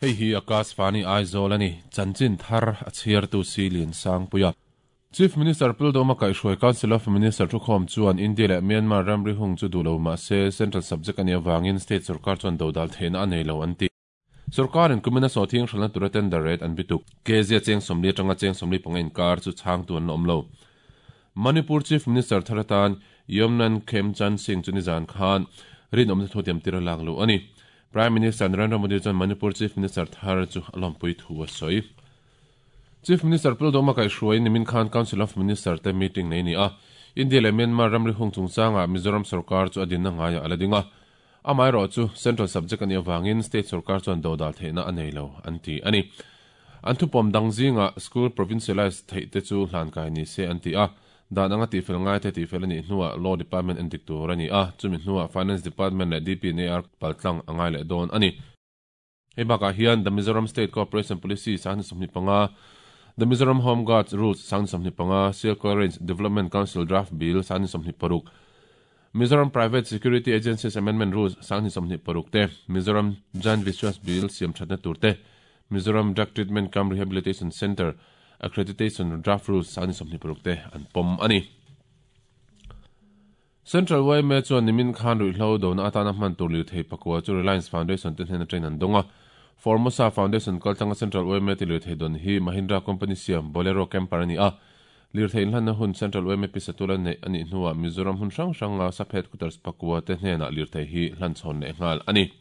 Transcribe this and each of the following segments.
Hei hi Akashvani Aizawl a ni, chanchin thar a chhiartu Silian Sangpuia. Chief Minister Pildawma kaihhruai Council of Minister thukhawm chuan India leh Myanmar ramri hung chu duh lo mah se Central subject a nih avangin State sorkar chuan dodal theihna a nei lo an ti. Sorkarin kumina sawhthing hralhna tura tender rate an bituk. Kezia cheng 40 atanga cheng 45 inkar chu chhangtu an la awm lo. Manipur Chief Minister thar atan Yomnan Khemchand Singh chu nizan khan rinawmna thutiam tir a lak luh a ni. Prime Minister Narendra Modi chuan Manipur Chief Minister thar chu a lawmpui thu a sawi. Chief Minister Pildawma kaihhruaiin nimin khan Council of Minister te meeting nei ni a. India leh Myanmar ramri hung chungchangah Mizoram sorkar chu a dinna ngaiah a la ding a. Amaherawhchu Central subject a nih avangin State sorkar chuan dodal theihna a nei lo an ti a ni. An thupawm dang zingah School provincialise theih te chu hlankai ni se an ti a. Dan anga tihfel ngaite tihfel a nih hnuah Law Department en dik tur a ni a, chumi hnuah Finance Department leh DPNAR paltlang a ngai leh dawn a ni. Hei bakah hian The Mizoram State Cooperation Policy 2025, The Mizoram Home Guards Rules 2025, Sialkal Range Development Council Draft Bill 2026, Mizoram Private Security Agencies Amendment Rules 2026 te, Mizoram Jan Vishwas Bill siam thatna tur te, Mizoram Drug Treatment Cum Rehabilitation Centre Accreditation Draft Rules 2026 te an pawm a ni. Central yma chuan nimin khan ruihhlo dona atana hman tur lirthei pakua chu Reliance Foundation te hnen atangin an dawng a. Formosa Foundation kaltlanga Central yma ti lirthei dawn hi Mahindra company siam Bolero Camper a ni a. Lirthei inhlanna hun Central yma Pisatula neih a nih hnuah Mizoram hmun hrang hranga sub headquarters pakua te hnenah lirthei hi hlanchhawn leh nghal a ni.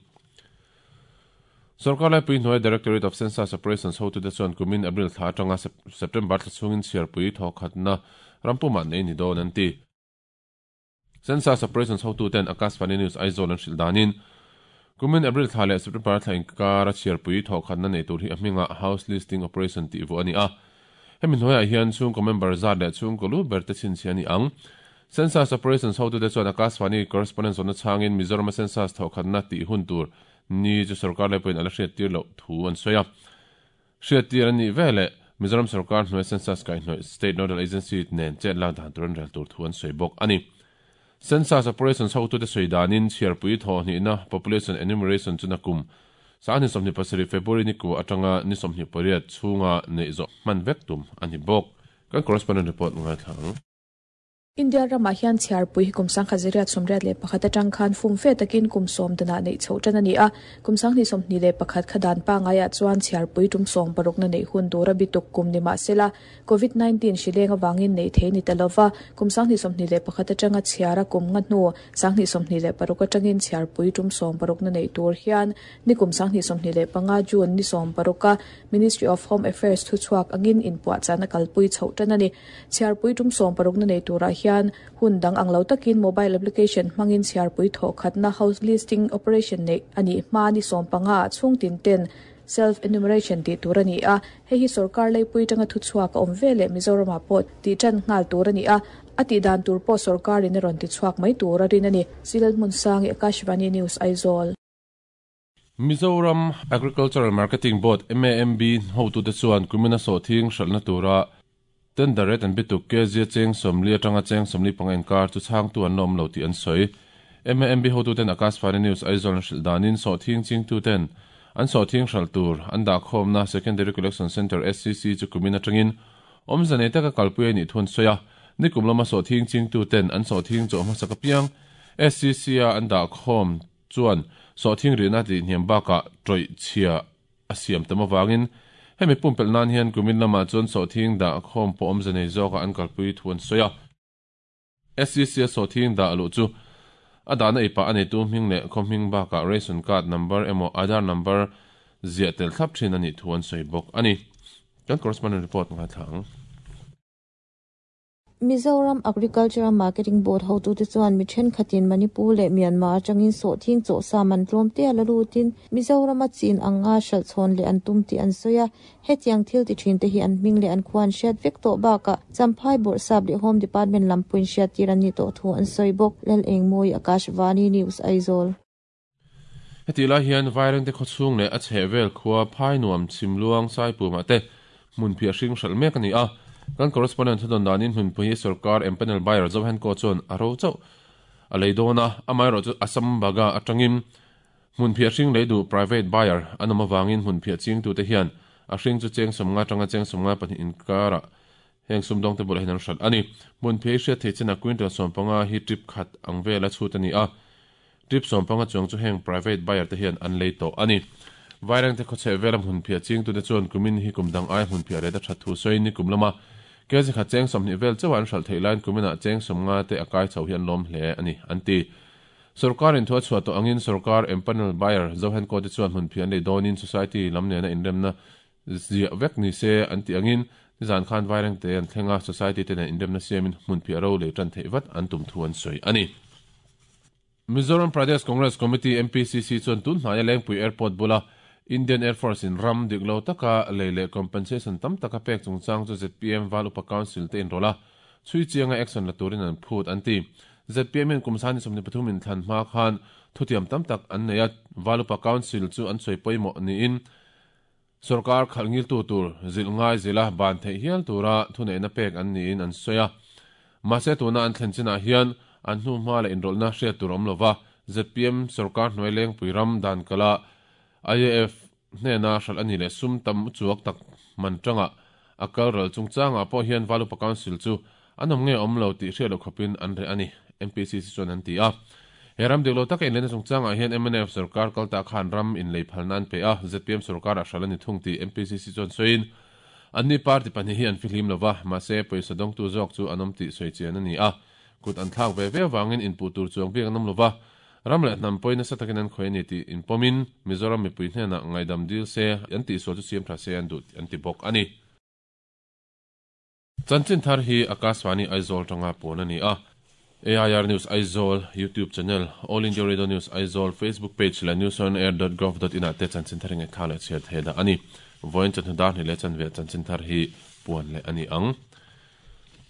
Sorkar laipui hnuai Directorate of Census Operations hotute chuan kumin April thla atanga September thla chhungin chhiarpui thawkhatna rampumah nei ni dawn an ti. Census Operations hotuten Akashvani News Aizawl an hrilh danin, kumin April thla leh September thla inkara chhiarpui thawkhatna nei tur hi a hmingah House Listing Operation tih vuah a ni a. Hemi hnuaiah hian chhungkaw member zat leh chhungkaw lu ber te chhinchhiah a ni ang. Census Operations hotute chuan Akashvani correspondent zawhna chhangin Mizorama Census thawhkhatna tih hun tur ni chu sorkar leh pawhin a la hriattir loh thu an sawi a. Hriattir an nih veleh Mizoram sorkar hnuai Census kaihhnawih State Nodal Agency nen chet lak dan tur an rel tur thu an sawi bawk a ni. Census Operations hotute sawi danin chhiarpui thawhhnihna Population Enumeration chu nakum 2027 February ni kua atanga ni 28 chhunga neih zawh hman vek tum a ni bawk. Kan correspondent report ngaithla ang. India ramah hian chhiarpui hi kum 1981 atang khan fum fe takin kum sawm danah neih chhoh tan a ni a. Kum 2021 kha dan pangaiah chuan chhiarpui tum sawm parukna neih hun tura bituk kum ni mah sela, Covid 19 hri leng avangin neih thei ni ta lova, kum 2021 atanga chhiara kum nga hnu 2026 atangin chhiarpui tum sawm parukna neih tur hian ni kum 2025 June ni sawm paruka Ministry of Home Affairs thuchhuak angin inpuahchahna kalpui chhoh tan a ni. Chhiarpui tum sawm parukna nei turah hian hun dang ang lo takin mobile application hmangin chhiarpui thawhkhatna house listing operation neih a nih hma ni sawm panga ah chhung tin ten self enumeration tih tur a ni a. Hei hi sorkar leipui atanga thuchhuak a awm veleh Mizoramah pawh tih tan nghal tur a ni a, a tih dan tur pawh sorkarin a rawn tichhuak mai tur a rin a ni. Silal Hmunsangi, Akashvani News, Aizawl. Mizoram Agricultural Marketing Board, MAMB, hotute chuan kumina sawhthing hralhna tura tender rate an bituk kezia cheng 40 atanga cheng 45 inkar chu chhangtu an la awm lo tih an sawi. MAMB hotuten Akashvani News Aizawl an hrilh danin sawhthing chingtuten an sawhthing hralh tur an dahkhawmna Secondary Collection Centre, SCC, chu kumin atangin awmze nei taka kalpui a nih thu an sawi a. Nikum lama sawhthing chingtuten an sawhthing chawh hmasak apiang SCC-a an dahkhawm chuan sawhthing rihna tih hniam bakah tawih chhia a siam tam avangin hemi pumpelh nan hian kumin lamah chuan sawhthing dah khawm pawh awmze nei zawkah an kalpui thu an sawi a. SEC-a sawhthing dah luh chu a dahna ipah a neitu hming leh khaw hming bakah ration card number emaw Aadhaar number ziah tel thlap thin a nih thu an sawi bawk a ni. Kan correspondent report ngaithla ang. Mizoram Agricultural Marketing Board hotute chuan mi thenkhatin Manipur leh Myanmar atangin sawhthing chawhsa man tlawm te a la lutin Mizorama chin anga hralh chhawn leh an tum tih an sawi a. Hetiang thil ti thin te hi an hming leh an khua an hriat vek tawh bakah Champhai Bawrhsap leh Home Department lam pawhin hriattir an nih tawh thu an sawi bawk. Lalengmawi, Akashvani News, Aizawl. Hetih lai hian Vairengte khawchhung leh a chhehvel khua Phainuam, Chhimluang, Saipumah te hmunphiah hring hralh mek a ni a. Kan correspondent thudawn danin hmunpui hi sorkar empanel buyer Zohenko chuan a ro chauh a lei dawn a, amaherawhchu Assam Baga atangin Hmunphiah hring lei duh, private buyer, an awm avangin hmunphiah chingtute hian a hring chu cheng 50 atanga cheng 52 inkarah heng sumdawngte bulah hian an hralh a ni. Hmunphiah hi hriat theih chinah quintal 15 hi trip khat ang vela chhut a ni a, trip 15 chuang chu heng private buyer te hian an lei tawh a ni. Vairengte khawchheh vela hmunphiah chingtute chuan kumin hi kum dang aia hmunphiah ret a that thu sawiin nikum lama kg khat cheng 20 vel chauha an hralh theih laiin kuminah cheng 50 te a kai chho hi an lawm hle a ni, an ti. Sorkar in thu a chhuah tawh angin sorkar empanel buyer Zohenko te chuan hmunphiah an lei dawnin society lam nena inremna ziah vek ni se an tih angin nizan khan Vairengte an thleng a, society te nen inremna siamin hmunphiah ro lei tan theih vat an tum thu an sawi a ni. Mizoram Pradesh Congress Committee, MPCC, chuan tun hnaia Lengpui Airport bula Indian Air Force in ram dik lo taka lei leh compensation tam taka pek chungchang chu zpm Val Upa Council te inrawlh a, Chhui chianga action la turin an phut an ti. Zpm hian kum 2023 inthlan hma khan thutiam tam tak an nei a, Valupa Council chu an sawi pawimawh niin sorkar khalh ngiltu tur zilh ngai zila ban theih hial tura thuneihna pek an niin an sawi a. Mahse tuna an thlen chinah hian an hnuhma leh inrawlhna hriat tur awm lova, zpm sorkar hnuai lengpui ram dan kala IAF hnena hralh a ni leh sum tam chuak tak man tangah a kal ral chungchangah pawh hian Valupa Council chu an awm nge awm lo tih hriat loh khawpin an reh a ni, MPCC chuan an ti a. He ram dik lo taka inleina chungchangah hian mnf sorkar kal ta khan ram inlei phalna an pe a, zpm sorkarah hralh a ni thung tih MPCC chuan sawiin, anni party pahnih hi an fihlim lo va, mahse pawisa dawngtu zawk chu an awm tih sawi chian a ni a, kut an thlak ve ve avangin inpuh tur chuang bik an awm lo va. Ram leh hnam pawhin nasa takin an khawih a ni tih inpawmin Mizoram mipui hnenah ngaihdam dil se, an tihsual chu siam tha se an duh an ti bawk a ni. Chanchin thar hi Akashvani Aizawl tanga puan a ni a. AIR News Aizawl YouTube channel, All India Radio News Aizawl Facebook page leh newsonair.gov.in ah te chanchin thar hi ngaihthlak leh chhiar theih dah a ni. Vawiin chawhnu dar hnih leh chanve chanchin thar hi puan leh a ni ang.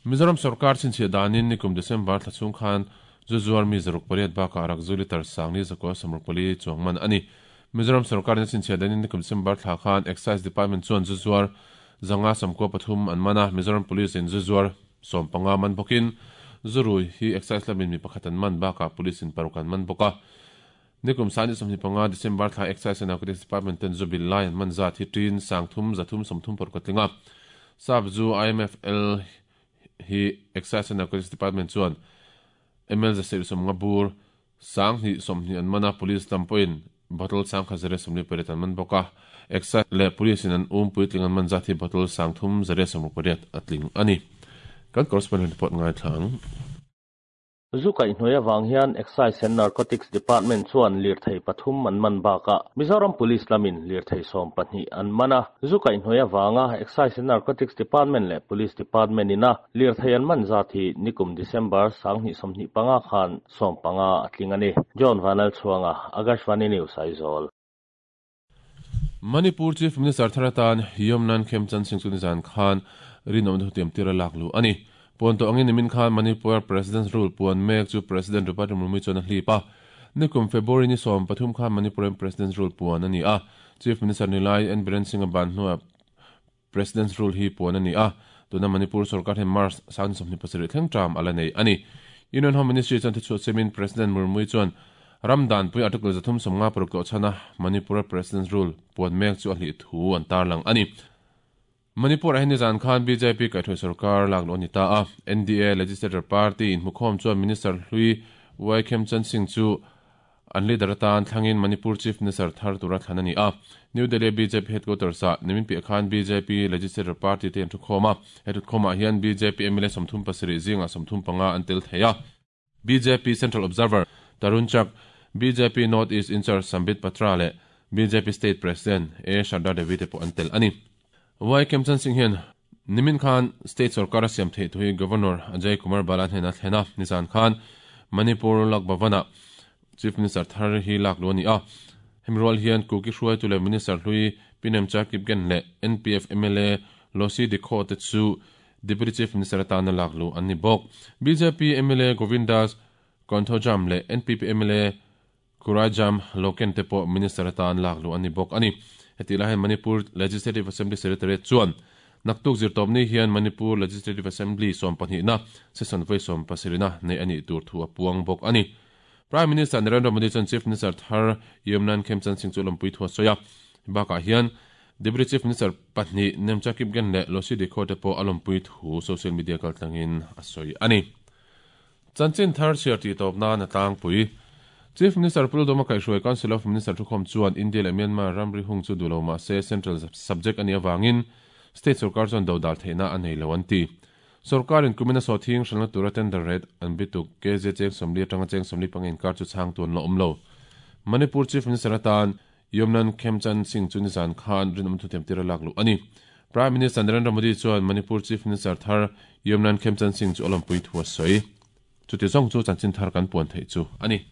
Mizoram sorkar chhinchhiah danin nikum December thla chhung khan zu zuar mi 800 bakah rak zu litre sangli 164 chuang man a ni. Mizoram sorkarin a chhinchhiah danin nikum December thla khan Excise Department chuan zu zuar 593 an man a, Mizoram Police in zu zuar 15 man bawkin zu rui hi Excise lamin mi pakhat an man bakah Police in paruk an man bawk a. Nikum 2025 December thla Excise and Narcotics Department ten zu bil lai an man zat hi ṭin 3336 a tling a. Sap zu IMFL hi Excise and Narcotics Department chuan ml 750 bur 2020 an man a, Police lam pawhin bottle 1148 an man bawk a. Excise leh Police in an um puitling an man zat hi bottle 3168 a tling a ni. Kan correspondent report ngaithla ang. Zu kaihhnuai avang hian Excise and Narcotics Department chuan lirthei pathum an man bakah Mizoram Police lamin lirthei 12 an man a. Zu kaihhnuai avanga Excise and Narcotics Department leh Police Department ina lirthei an man zat hi nikum December 2025 khan 15 a tling a ni. John Vanlalchhuanga, Akashvani News, Aizawl. Manipur Chief Minister thar atan Yomnan Khemchand Singh chu nizan khan rinawmna thutiam tir a lak luh a ni. Puan tawh angin nimin khan Manipur President's Rule puan mek chu President Draupadi Murmu chuan a hlip a. Nikum February ni 13 khan Manipur-in President's Rule puan a ni a. Chief Minister nilai N Biren Singh a ban hnuah President's Rule hi puan a ni a, tuna Manipur sorkar hian March 2027 thleng term a la nei a ni. Union Home Ministry chuan thuchhuah siamin President Murmu chuan ram danpui Article 356 tlawh chhana Manipur-a President's Rule puan mek chu a hlih thu an tarlang a ni. Manipur-ah hian nizan khan bjp kaihhruai sorkar lak luh a ni ta a, NDA Legislature Party inhmukhawm chuan Minister hlui Y Khemchand Singh chu An leader atan thlangin Manipur Chief Minister thar tura thlan a ni a. New Delhi bjp headquarters ah nimin piah khan bjp Legislature Party te an thukhawm a. He thutkhawmah hian bjp mla 37 zingah 35 an tel thei a. Bjp Central Observer Tarun Chak, bjp North East Incharge Sambit Patra leh bjp State President A Sharda Devi te pawh an tel a ni. Y Khemchand Singh hian nimin khan state sorkar a siam theih thu hi Governor Ajay Kumar Bala hnenah a thlen a, nizan khan Manipur Lok Bhavan-ah Chief Minister thar hi lak luh a ni a. Hemi rual hian Kuki hruaitu leh Minister hlui Pi Nemcha Kipgen leh NPF mla Losi Dikho te chu Deputy Chief Minister atana lak luh an ni bawk. Bjp mla Govindas Konthoujam leh NPP mla Khuraijam Loken te pawh Minister atan lak luh an ni bawk a ni. Hetih lai hian Manipur Legislative Assembly Secretariat chuan naktuk zirtawpni hian Manipur Legislative Assembly 12na session vawi 17na neih a nih tur thu a puang bawk a ni. Prime Minister Narendra Modi chuan Chief Minister thar Yumnan Khemchand Singh chu lawmpui thu a sawi a. Bakah hian Deputy Chief Minister pahnih Nemcha Kipgen leh Losi Dikho te pawh a lawmpui thu social media kaltlangin a sawi a ni. Chanchin thar chhiar tih tawp nan a tlangpui. Chief Minister Pu Lalduhoma kaihhruai Council of Minister thukhawm chuan India leh Myanmar ramri hung chu duh lo mah se Central subject a nih avangin State sorkar chuan dodal theihna a nei lo an ti. Sorkarin kumina sawhthing hralhna tura tender rate an bituk KZ cheng 40 atanga cheng 45 inkar chu chhangtu an la awm lo. Manipur Chief Minister atan Yumnan Khemchand Singh chu nizan khan rinawm thuthiam tir a lak luh a ni. Prime Minister Narendra Modi chuan Manipur Chief Minister thar Yumnan Khemchand Singh chu a lawmpui thu a sawi. Chuti zawng chu chanchin thar kan puan theih chu a ni.